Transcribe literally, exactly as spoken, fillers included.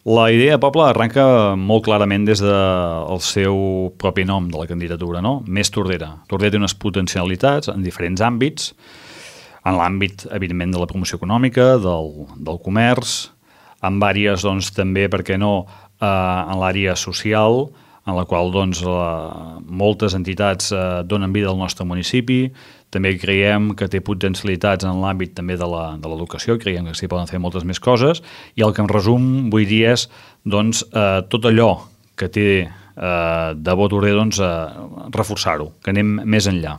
La idea de poble arrenca molt clarament des del seu propi nom de la candidatura, no? Més Tordera. Tordera té unes potencialitats en diferents àmbits, en l'àmbit, evidentment, de la promoció econòmica, del, del comerç, en àrees, doncs, també, per què no, eh, en l'àrea social, en la qual doncs, la, moltes entitats eh, donen vida al nostre municipi. També creiem que té potencialitats en l'àmbit també de l'educació, creiem que s'hi poden fer moltes més coses, i el que en resum vull dir és doncs, eh, tot allò que té eh, de bo Tordera, doncs, eh, reforçar-ho, que anem més enllà.